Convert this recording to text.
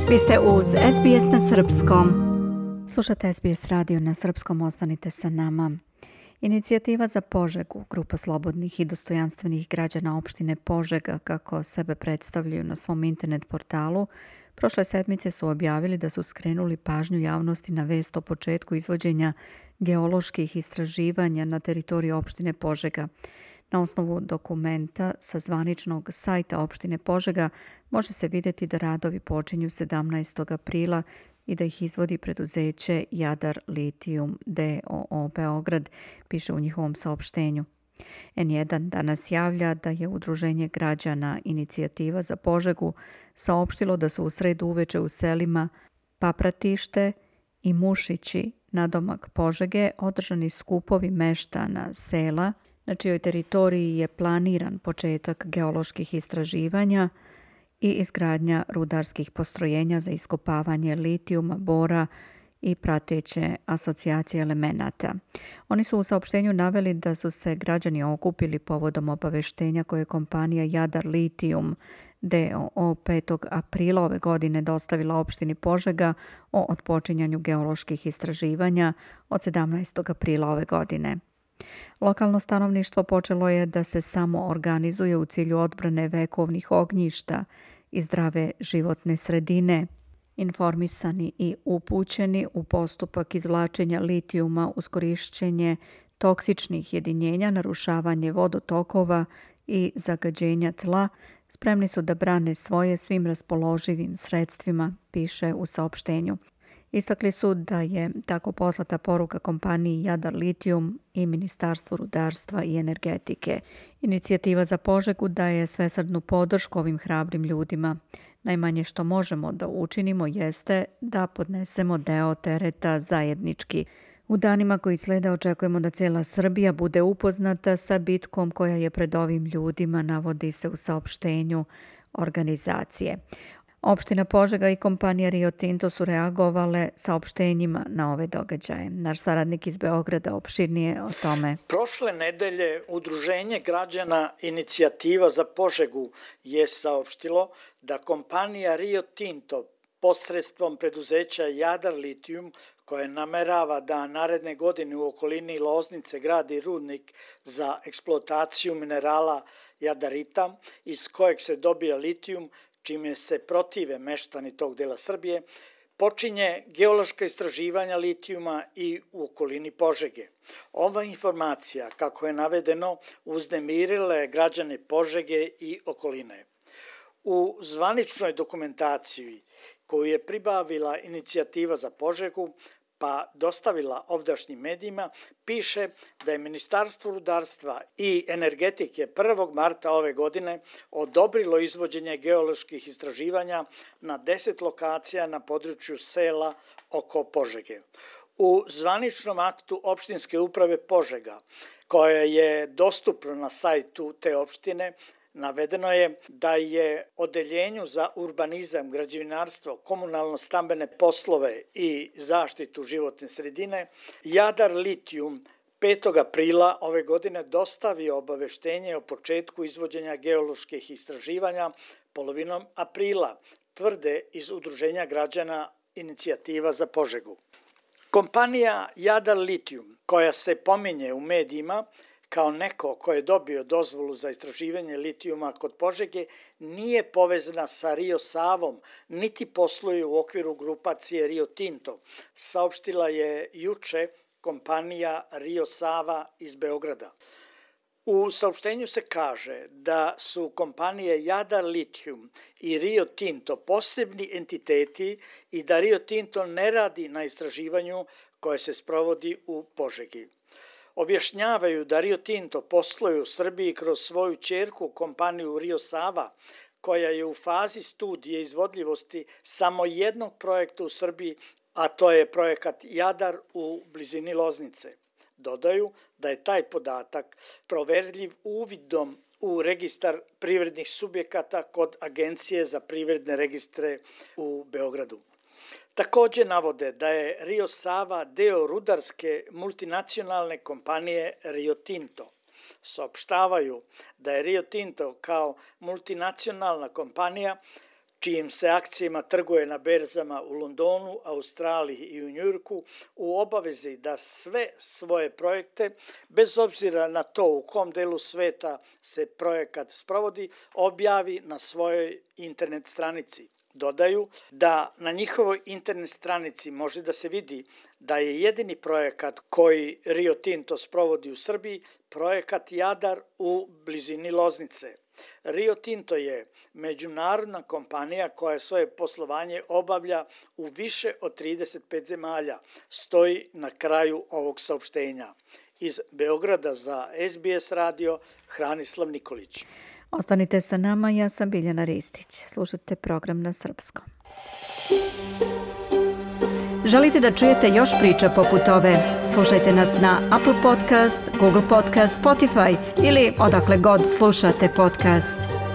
Vi ste uz SBS na srpskom. Slušate SBS radio na srpskom, ostanite sa nama. Inicijativa za Požegu, grupa slobodnih i dostojanstvenih građana opštine Požega, kako sebe predstavljaju na svom internet portalu, prošle sedmice su objavili da su skrenuli pažnju javnosti na vest o početku izvođenja geoloških istraživanja na teritoriji opštine Požega. Na osnovu dokumenta sa zvaničnog sajta opštine Požega može se vidjeti da radovi počinju 17. aprila i da ih izvodi preduzeće Jadar Litijum d.o.o. Beograd, piše u njihovom saopštenju. N1 danas javlja da je Udruženje građana Inicijativa za Požegu saopštilo da su u sredu uveče u selima Papratište i Mušići, nadomak Požege, održani skupovi meštana sela na čijoj teritoriji je planiran početak geoloških istraživanja i izgradnja rudarskih postrojenja za iskopavanje litijuma, bora i prateće asocijacije elemenata. Oni su u saopštenju naveli da su se građani okupili povodom obaveštenja koje je kompanija Jadar Litijum d.o.o. 5. aprila ove godine dostavila opštini Požega o otpočinjanju geoloških istraživanja od 17. aprila ove godine. Lokalno stanovništvo počelo je da se samo organizuje u cilju odbrane vekovnih ognjišta i zdrave životne sredine, informisani i upućeni u postupak izvlačenja litijuma uz korišćenje toksičnih jedinjenja, narušavanje vodotokova i zagađenja tla, spremni su da brane svoje svim raspoloživim sredstvima, piše u saopštenju. Istakli su da je tako poslata poruka kompaniji Jadar Litijum i Ministarstvu rudarstva i energetike. Inicijativa za Požegu daje svesrdnu podršku ovim hrabrim ljudima. Najmanje što možemo da učinimo jeste da podnesemo deo tereta zajednički. U danima koji slede očekujemo da cijela Srbija bude upoznata sa bitkom koja je pred ovim ljudima, navodi se u saopštenju organizacije. Opština Požega i kompanija Rio Tinto su reagovale saopštenjima na ove događaje. Naš saradnik iz Beograda opširnije o tome. Prošle nedelje Udruženje građana Inicijativa za Požegu je saopštilo da kompanija Rio Tinto posredstvom preduzeća Jadar Litijum, koje namerava da naredne godine u okolini Loznice gradi rudnik za eksploataciju minerala jadarita, iz kojeg se dobija litijum, čime se protive meštani tog dela Srbije, počinje geološka istraživanja litijuma i u okolini Požege. Ova informacija, kako je navedeno, uznemirila je građane Požege i okoline. U zvaničnoj dokumentaciji koju je pribavila Inicijativa za Požegu pa dostavila ovdašnjim medijima, piše da je Ministarstvo rudarstva i energetike 1. marta ove godine odobrilo izvođenje geoloških istraživanja na 10 lokacija na području sela oko Požege. U zvaničnom aktu opštinske uprave Požega, koja je dostupna na sajtu te opštine, navedeno je da je Odeljenju za urbanizam, građevinarstvo, komunalno-stambene poslove i zaštitu životne sredine Jadar Litijum 5. aprila ove godine dostavio obaveštenje o početku izvođenja geoloških istraživanja polovinom aprila, tvrde iz Udruženja građana Inicijativa za Požegu. Kompanija Jadar Litijum, koja se pominje u medijima kao neko ko je dobio dozvolu za istraživanje litijuma kod Požege, nije povezana sa Rio Savom, niti posluje u okviru grupacije Rio Tinto, saopštila je juče kompanija Rio Sava iz Beograda. U saopštenju se kaže da su kompanije Jadar Litijum i Rio Tinto posebni entiteti i da Rio Tinto ne radi na istraživanju koje se sprovodi u Požegi. Objašnjavaju da Rio Tinto posluje u Srbiji kroz svoju ćerku kompaniju Rio Sava, koja je u fazi studije izvodljivosti samo jednog projekta u Srbiji, a to je projekat Jadar u blizini Loznice. Dodaju da je taj podatak proverljiv uvidom u registar privrednih subjekata kod Agencije za privredne registre u Beogradu. Također navode da je Rio Sava deo rudarske multinacionalne kompanije Rio Tinto. Saopštavaju da je Rio Tinto kao multinacionalna kompanija čijim se akcijama trguje na berzama u Londonu, Australiji i u Njujorku, u obavezi da sve svoje projekte, bez obzira na to u kom delu sveta se projekat sprovodi, objavi na svojoj internet stranici. Dodaju da na njihovoj internet stranici može da se vidi da je jedini projekat koji Rio Tinto sprovodi u Srbiji projekat Jadar u blizini Loznice. Rio Tinto je međunarodna kompanija koja svoje poslovanje obavlja u više od 35 zemalja, stoji na kraju ovog saopštenja. Iz Beograda za SBS radio, Hranislav Nikolić. Ostanite sa nama, ja sam Biljana Ristić. Slušate program na srpskom. Želite da čujete još priča poput ove? Slušajte nas na Apple Podcast, Google Podcast, Spotify ili odakle god slušate podcast.